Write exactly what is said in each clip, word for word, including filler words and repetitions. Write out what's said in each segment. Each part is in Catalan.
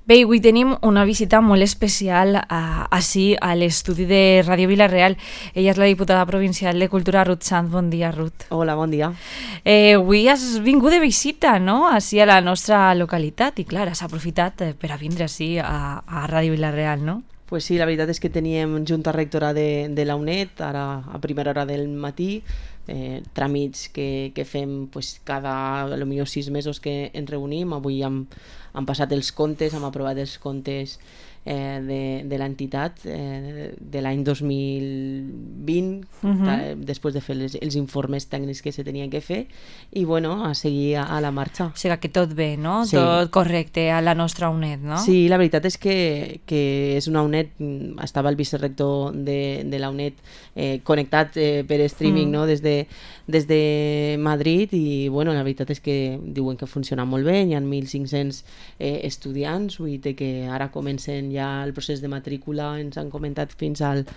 Bé, avui tenim una visita molt especial a, així a l'estudi de Ràdio Vila-real. Ella és la diputada provincial de Cultura, Ruth Sanz. Bon dia, Ruth. Hola, bon dia. Eh, avui has vingut de visita, no?, així a la nostra localitat i, clar, has aprofitat per a vindre així a, a Ràdio Vila-real, no? Pues sí, la veritat és que teníem junta rectora de, de la U N E D, ara a primera hora del matí, eh, tràmits que, que fem pues, cada potser sis mesos que ens reunim. Avui hem, hem passat els comptes, hem aprovat els comptes eh, de, de l'entitat eh, de l'any dos mil vint, uh-huh. ta, després de fer les, els informes tècnics que se tenien que fer, i bueno, a seguir a, a la marxa. O sigui que tot bé, no? Sí. Tot correcte a la nostra U N E D, no? Sí, la veritat és que, que és una U N E D, estava el vicerector de, de la U N E D eh, connectat eh, per streaming, mm. no? des, de, des de Madrid, i bueno, la veritat és que diuen que funciona molt bé, hi ha mil cinc-cents eh, estudiants, vull dir que ara comencen ja el procés de matrícula, ens han comentat fins al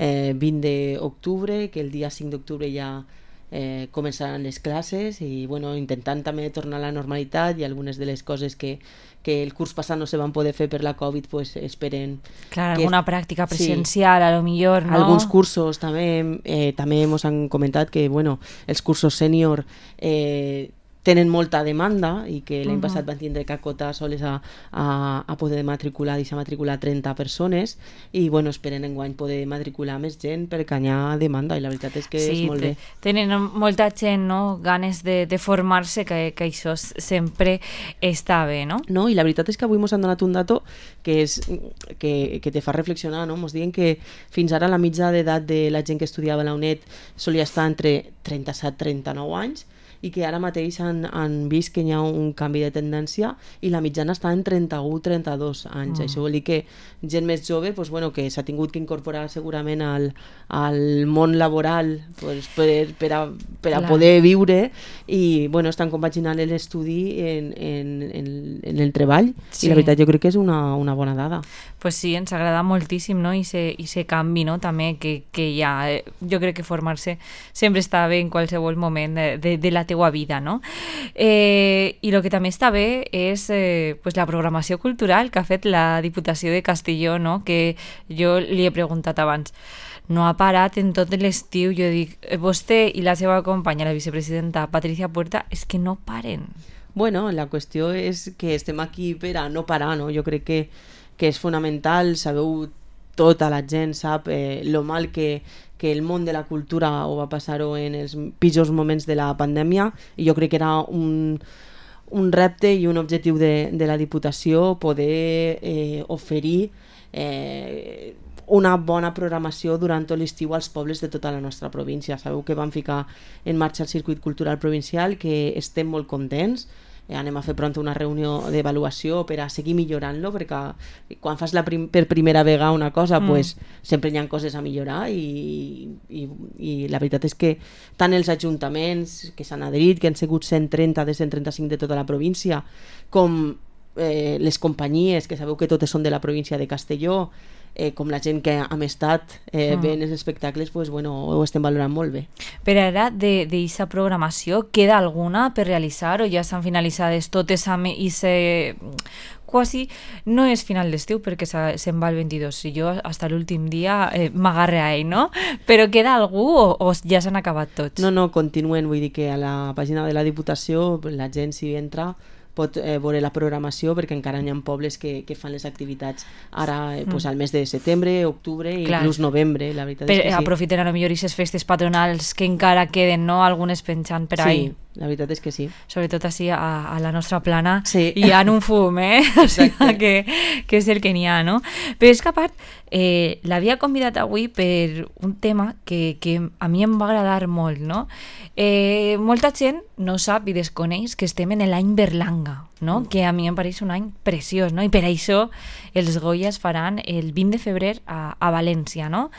eh, vint d'octubre, que el dia cinc d'octubre ja eh, començaran les classes, i bueno, intentant també tornar a la normalitat, i algunes de les coses que, que el curs passat no se van poder fer per la Covid, pues esperen... Clar, que, alguna pràctica presencial, sí, a lo millor, no? Alguns cursos també, eh, també ens han comentat que bueno, els cursos sènior eh, tenen molta demanda, i que l'any uh-huh. passat van tindre que acotar soles a, a, a poder matricular, deixar matricular trenta persones, i bueno, esperen enguany poder matricular més gent perquè hi ha demanda, i la veritat és que sí, és molt bé. Tenen molta gent, no?, ganes de, de formar-se, que, que això sempre està bé, no? No, i la veritat és que avui ens han donat un dato que, és, que, que te fa reflexionar, no? Ens diuen que fins ara la mitja d'edat de la gent que estudiava a la U N E D solia estar entre trenta-set i trenta-nou anys, i que ara mateix han, han vist que hi ha un canvi de tendència, i la mitjana està en trenta-u a trenta-dos anys. Mm. Això vol dir que gent més jove pues, bueno, que s'ha tingut que incorporar segurament al, al món laboral pues, per, per, a, per a poder viure, i bueno, estan compaginant l'estudi en, en, en, en el treball, sí. I la veritat jo crec que és una, una bona dada. Pues sí, ens agrada moltíssim, no? I se, i se canvi, no?, també que, que hi ha. Jo crec que formar-se sempre està bé en qualsevol moment de, de, de la teua vida, no? Eh, I el que també està bé és eh, pues la programació cultural que ha fet la Diputació de Castelló, no?, que jo li he preguntat abans. No ha parat en tot l'estiu. Jo dic, vostè i la seva companya, la vicepresidenta Patricia Puerta, és que no paren. Bueno, la qüestió és que estem aquí per a no parar, no? Jo crec que que és fonamental, sabeu, tota la gent sap eh, lo mal que, que el món de la cultura ho va passar-ho en els pitjors moments de la pandèmia, i jo crec que era un, un repte i un objectiu de, de la Diputació poder eh, oferir eh, una bona programació durant tot l'estiu als pobles de tota la nostra província. Sabeu que vam ficar en marxa el circuit cultural provincial, que estem molt contents. Eh, anem a fer pront una reunió d'avaluació per a seguir millorant-lo, perquè quan fas la prim- per primera vegada una cosa, mm. pues, sempre hi ha coses a millorar, i, i, i la veritat és que tant els ajuntaments que s'han adherit, que han sigut cent trenta de cent trenta-cinc de tota la província, com eh, les companyies, que sabeu que totes són de la província de Castelló, Eh, com la gent que hem estat eh, mm. veient els espectacles, pues, bueno, ho estem valorant molt bé. Per ara, d'aquesta programació, queda alguna per realitzar, o ja s'han finalitzades totes amb i se... quasi no és final d'estiu perquè se, se'n va el vint-i-dos, i jo fins a l'últim dia eh, m'agarre a ell, no? Però queda algú o, o ja s'han acabat tots? No, no, continuen, vull dir que a la pàgina de la Diputació la gent, si entra, pot eh, veure la programació, perquè encara hi ha pobles que, que fan les activitats ara eh, pues, al mes de setembre, octubre i inclús novembre. La veritat per, és que sí. Aprofiten a lo millor aquestes festes patronals que encara queden, no?, algunes penjant per ahí. Sí, la veritat és que sí. Sobretot així a, a la nostra plana sí. hi ha un fum, eh? O sigui que, que és el que n'hi ha, no? Però és que a part, eh, l'havia convidat avui per un tema que, que a mi em va agradar molt, no? Eh, molta gent no sap i desconeix que estem en l'any Berlanga, no? Mm. Que a mi em pareix un any preciós, no? I per això els Goyas faran el vint de febrer a, a València, no?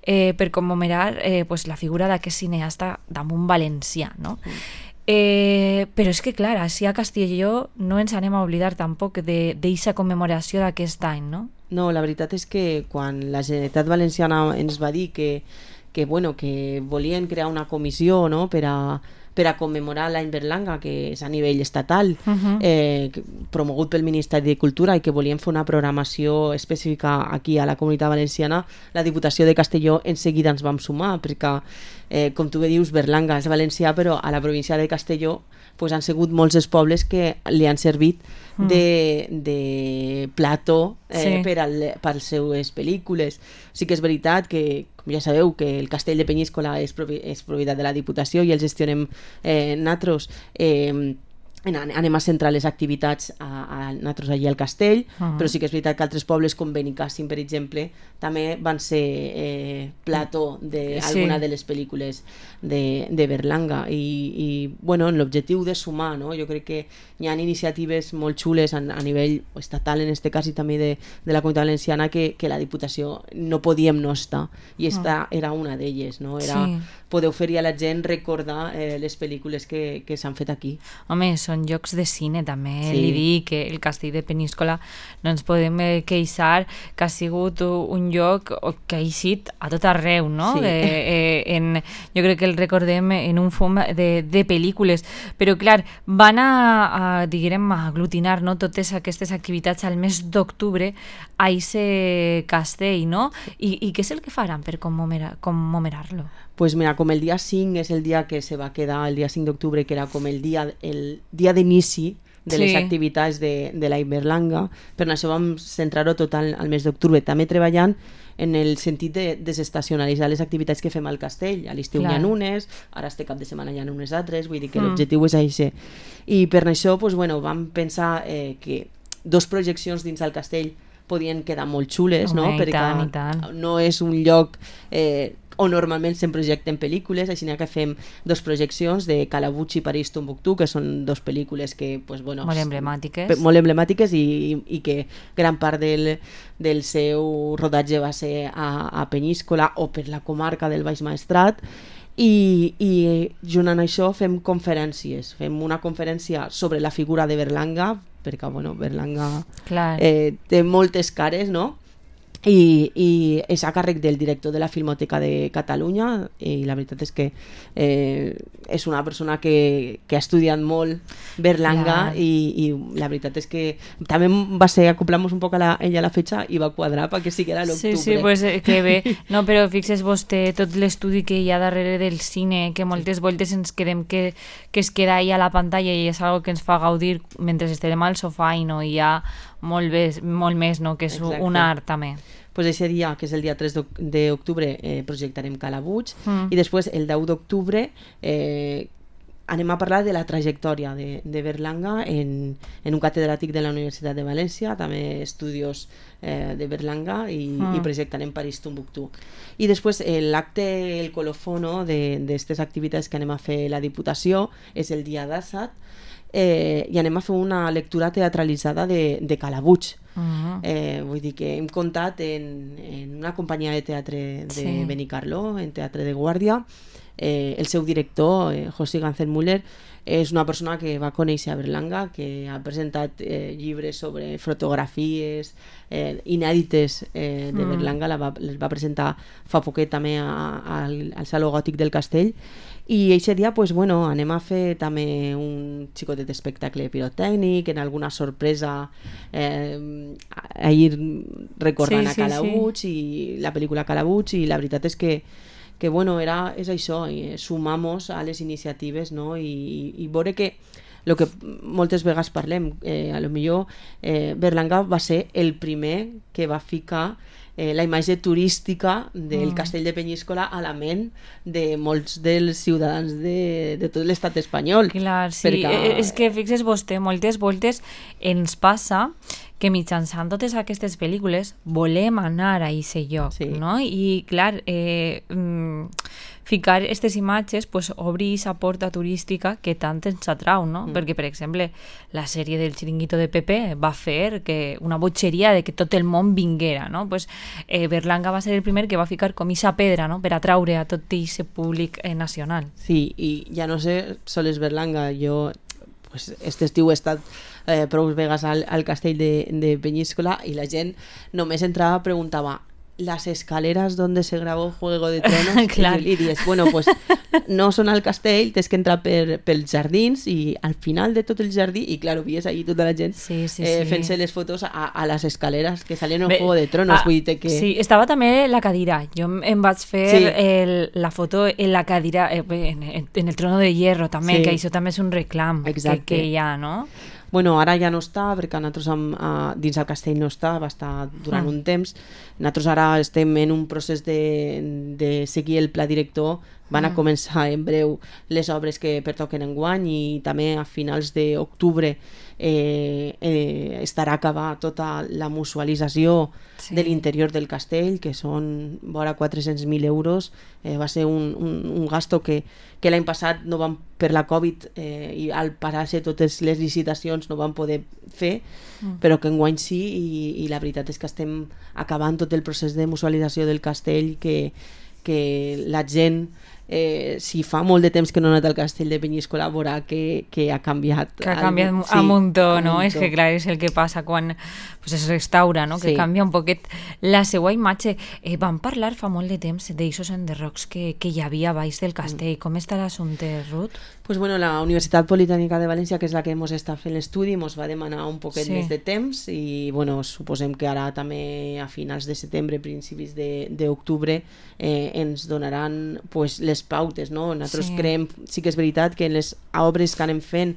Eh, per commemorar eh, pues, la figura d'aquest cineasta damunt valencià, no? Mm. Eh, però és que, clar, així a Castelló no ens anem a oblidar tampoc d'aquesta commemoració d'aquest any, no? No, la veritat és que quan la Generalitat Valenciana ens va dir que, que, bueno, que volien crear una comissió, no?, per a per a commemorar l'any Berlanga, que és a nivell estatal, uh-huh. eh, promogut pel Ministeri de Cultura, i que volien fer una programació específica aquí a la Comunitat Valenciana. La Diputació de Castelló en seguida ens vam sumar, perquè, eh, com tu bé dius, Berlanga és valencià, però a la província de Castelló pues, han sigut molts els pobles que li han servit de, de plató eh, sí. per, al, per les seues pel·lícules. Sí que és veritat que, com ja sabeu, que el castell de Penyíscola és, propi, és propietat de la Diputació i el gestionem eh, nosaltres. Eh, anem a centrar les activitats a, a nosaltres allí al castell, uh-huh. però sí que és veritat que altres pobles com Benicàssim, per exemple, també van ser eh, plató d'alguna sí. de les pel·lícules de, de Berlanga i, i bueno, en l'objectiu de sumar, no? Jo crec que hi ha iniciatives molt xules a, a nivell estatal en este cas i també de, de la Comunitat Valenciana que, que la Diputació no podíem no estar i esta uh-huh. era una d'elles, no? Era sí. poder oferir a la gent recordar eh, les pel·lícules que, que s'han fet aquí. Home, són llocs de cine també, sí. li dic que el castell de Penyíscola no ens podem queixar que ha sigut un lloc que ha eixit a tot arreu, no? Sí. Eh, eh, en, jo crec que el recordem en un fum de, de pel·lícules, però clar, van a, a diguem, a aglutinar, no? Totes aquestes activitats al mes d'octubre a ese castell, no? I, i què és el que faran per commemorar-lo? Pues mira, com el dia cinc és el dia que se va quedar, el dia cinc d'octubre, que era com el dia, el dia d'inici de sí. les activitats de, de la Berlanga, per això vam centrar-ho tot al, al mes d'octubre, també treballant en el sentit de desestacionalitzar les activitats que fem al castell. A l'estiu hi ha unes, ara este cap de setmana hi ha unes altres, vull dir que mm. l'objectiu és això. I per això pues, bueno, vam pensar eh, que dos projeccions dins del castell podien quedar molt xules, Home, no? I perquè tant, i tant. no és un lloc eh, on normalment se'n projecten pel·lícules, així que fem dos projeccions de Calabuig i París Tombuctú, que són dos pel·lícules que, pues, bueno, molt emblemàtiques, molt emblemàtiques i, i, i que gran part del, del seu rodatge va ser a, a Penyíscola o per la comarca del Baix Maestrat. I, i junt amb això fem conferències, fem una conferència sobre la figura de Berlanga, perquè bueno, Berlanga eh, té moltes cares, no? I, i és a càrrec del director de la Filmoteca de Catalunya i la veritat és que eh, és una persona que, que ha estudiat molt Berlanga i, i la veritat és que també va ser acoplar-nos un poc a la, ella a la fetxa i va quadrar perquè sí que era l'octubre. Sí, sí, pues que bé. No, però fixes vostè tot l'estudi que hi ha darrere del cine, que moltes voltes ens quedem que, que es queda ahí a la pantalla i és algo que ens fa gaudir mentre estem al sofà i no hi ha molt, més, molt més, no? Que és Exacte. Un art també. Pues ese dia, que és el dia tres d'octubre, eh, projectarem Calabuig mm. i després el deu d'octubre eh, anem a parlar de la trajectòria de, de Berlanga en, en un catedràtic de la Universitat de València, també estudios eh, de Berlanga i, mm. i projectarem París Tombuctú. I després eh, l'acte, el colofono d'aquestes activitats que anem a fer la Diputació és el dia disset eh, i anem a fer una lectura teatralitzada de, de Calabuig. Uh-huh. eh, vull dir que hem comptat en, en una companyia de teatre de sí. Benicarló, en Teatre de Guàrdia. Eh, el seu director, eh, José Ganzel-Müller, és una persona que va conèixer a Berlanga, que ha presentat eh, llibres sobre fotografies eh, inèdites eh, de Berlanga, la va, les va presentar fa poquet també a, a, al, al Saló Gòtic del Castell. I aquest dia pues, bueno, anem a fer també un xicotet espectacle pirotècnic, en alguna sorpresa eh, ahir recordant sí, a Calabuig sí, sí. i la pel·lícula Calabuig, i la veritat és que que bueno, era, és això, eh, sumamos a les iniciatives, no? I, i, i veure que el que moltes vegades parlem, eh, a lo millor eh, Berlanga va ser el primer que va ficar eh, la imatge turística del mm. castell de Penyíscola a la ment de molts dels ciutadans de, de tot l'estat espanyol. Clar, sí, perquè... és que fixes vostè, moltes voltes ens passa que mitjançant totes aquestes pel·lícules volem anar a aquest lloc, sí. no? I clar, eh, mm, ficar aquestes imatges pues, obri aquesta porta turística que tant ens atrau, no? Mm. Perquè, per exemple, la sèrie del Chiringuito de Pepe va fer que una botxeria de que tot el món vinguera, no? Pues, eh, Berlanga va ser el primer que va ficar com aquesta pedra, no? Per atraure a tot aquest públic eh, nacional. Sí, i ja no sé, sols Berlanga, jo pues, este estiu he estat eh, prou vegades al, al castell de, de Penyíscola i la gent només entrava preguntava las escaleras donde se grabó Juego de Tronos. Clar. I, i dius, bueno, pues no són al castell, tens que entrar per, pels jardins i al final de tot el jardí, i claro, vies ahí tota la gent sí, sí, eh, sí. fent-se les fotos a, a les escaleres que salien en Bé, Juego de Tronos. ah, vull dir que... Sí, estava també la cadira. Jo em vaig fer Sí. el, la foto en la cadira, eh, en, en el trono de hierro també, Sí. que això també és un reclam que, Exacte. que hi ha, no? Bueno, ara ja no està, perquè nosaltres amb, uh, dins el castell no està, va estar durant Mm. un temps. Nosaltres ara estem en un procés de, de seguir el pla director. Van a començar en breu les obres que pertoquen enguany i també a finals d'octubre eh, eh, estarà acabada tota la musualització Sí. de l'interior del castell, que són vora quatre-cents mil euros. Eh, va ser un, un, un gasto que, que l'any passat no van, per la Covid eh, i al parar-se totes les licitacions no van poder fer, mm. però que enguany sí, i, i la veritat és que estem acabant tot el procés de musualització del castell, que, que la gent eh, si fa molt de temps que no ha anat al castell de Penyíscola veurà que, que ha canviat Que ha canviat sí, a muntó, no? És que clar, és el que passa quan pues, es restaura, no? Que Sí. canvia un poquet la seva imatge. Eh, vam parlar fa molt de temps d'eixos enderrocs que, que hi havia baix del castell. Mm. Com està l'assumpte, Ruth? Pues bueno, la Universitat Politècnica de València, que és la que ens està fent l'estudi, ens va demanar un poquet Sí. més de temps i bueno, suposem que ara també a finals de setembre, principis de- d'octubre eh, ens donaran pues, les pautes, no? Nosaltres Sí. creiem, sí que és veritat que en les obres que anem fent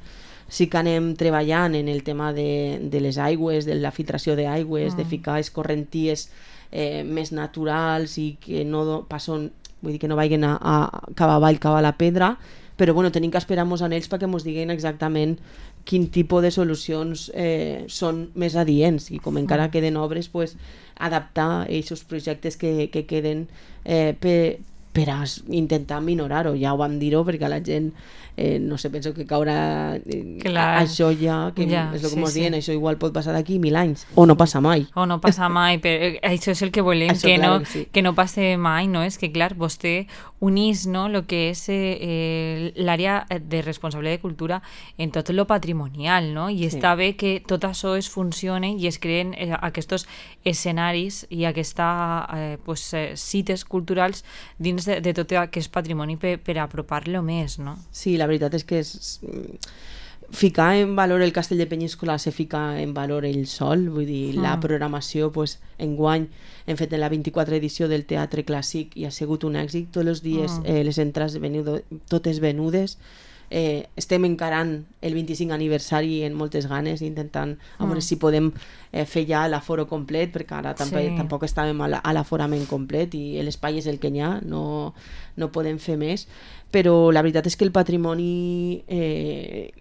sí que anem treballant en el tema de, de les aigües, de la filtració d'aigües, mm. de ficar escorrenties eh, més naturals i que no do- passen, vull dir que no vagin a, a cap avall, cap a la pedra, però bueno, tenim que esperar-nos en ells perquè ens diguin exactament quin tipus de solucions eh, són més adients i com encara queden obres, pues, adaptar aquests projectes que, que queden eh, per, per a intentar minorar-ho. Ja ho vam dir-ho perquè la gent eh, no sé, penso que caurà eh, Clar. això ja, que Ja, és el que sí, mos sí. diuen, això igual pot passar d'aquí mil anys o no passa mai. O no passa mai, però això és el que volem, Això, que, claro no, que sí. que no passe mai, no? És que, clar, vostè unís, no?, el que és eh, eh, l'àrea de responsable de cultura en tot lo patrimonial, no? I Sí. està bé que tot això es funcione i es creen eh, aquests escenaris i aquesta eh, pues, eh, cites culturals dins de, de tot aquest patrimoni per, per apropar-lo més, no? Sí, la veritat és que és, ficar en valor el castell de Penyíscola se fica en valor ell sol, vull dir, mm. la programació, pues, enguany hem fet en la vint-i-quatre edició del Teatre Clàssic i ha sigut un èxit, tots els dies mm. eh, les entrades venudo, totes venudes, eh, estem encarant el vint-i-cinc aniversari en moltes ganes, intentant a veure mm. si podem eh, fer ja l'aforo complet, perquè ara tampoc, Sí. tampoc estàvem a la- a l'aforament complet i l'espai és el que hi ha, no, no podem fer més, però la veritat és que el patrimoni eh,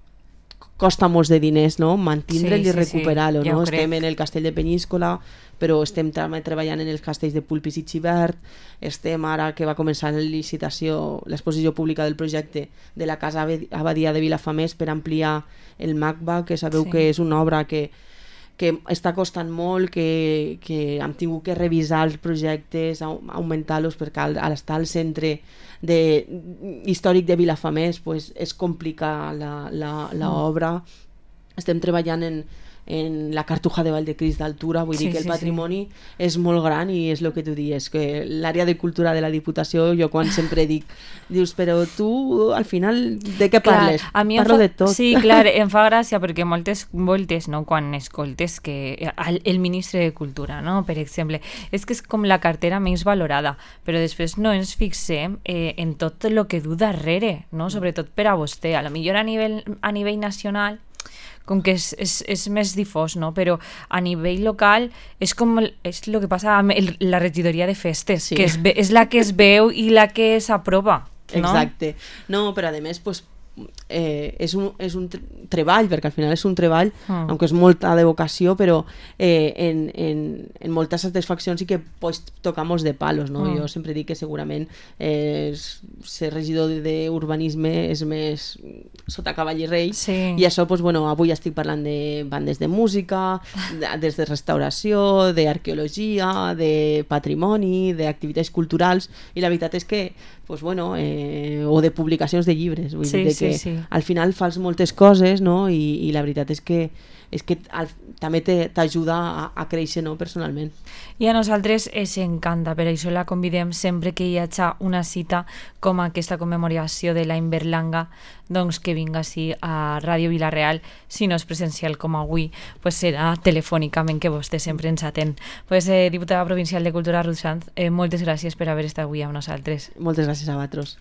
costa molts de diners, no? Mantindre'l Sí, i sí, sí, recuperar-lo, ja no? ho Estem crec. en el castell de Penyíscola, però estem també treballant en els castells de Pulpis i Xivert, estem ara que va començar la licitació, l'exposició pública del projecte de la Casa Abad- Abadia de Vilafamés per ampliar el MACBA, que sabeu Sí. que és una obra que que està costant molt, que, que hem tingut que revisar els projectes, au- augmentar-los, perquè al, al estar al centre de, històric de Vilafamés pues, és complicar la, la, la Mm. obra. Estem treballant en, en la Cartuja de Valdecrist d'altura, vull Sí, dir que el sí, patrimoni és molt gran i és el que tu dius, que l'àrea de cultura de la Diputació, jo quan sempre dic, dius, però tu al final de què parles? Clar, a mi em Parlo fa, de tot. Sí, clar, em fa gràcia perquè moltes voltes, no, quan escoltes que el, el ministre de Cultura, no, per exemple, és que és com la cartera menys valorada, però després no ens fixem eh, en tot el que du darrere, no, sobretot per a vostè. A lo millor a nivell, a nivell nacional com que és, és, és més difós, no? Però a nivell local és com el, és el que passa amb el, la regidoria de festes, Sí. que és, ve- és la que es veu i la que s'aprova, no? Exacte. No, però a més, pues, eh, és, un, és un tre- treball, perquè al final és un treball, Mm. aunque és molta de vocació, però eh, en, en, en moltes satisfaccions sí que pots tocar molts de palos, no? Mm. Jo sempre dic que segurament eh, ser regidor d'urbanisme és més sota cavall i rei, Sí. i això, pues, bueno, avui estic parlant de bandes de música, de, des de restauració, d'arqueologia, de patrimoni, d'activitats culturals, i la veritat és que, pues, bueno, eh, o de publicacions de llibres, vull Sí, dir sí, perquè sí, sí. al final fas moltes coses, no? I, i la veritat és que és que al, també t'ajuda a, a créixer, no? Personalment. I a nosaltres ens encanta, per això la convidem sempre que hi hagi una cita com aquesta commemoració de l'any Berlanga, doncs que vinga així a Ràdio Vila-real, si no és presencial com avui, pues serà telefònicament, que vostè sempre ens atén. Pues, eh, diputada provincial de Cultura Ruth Sanz, eh, moltes gràcies per haver estat avui amb nosaltres. Moltes gràcies a vosaltres.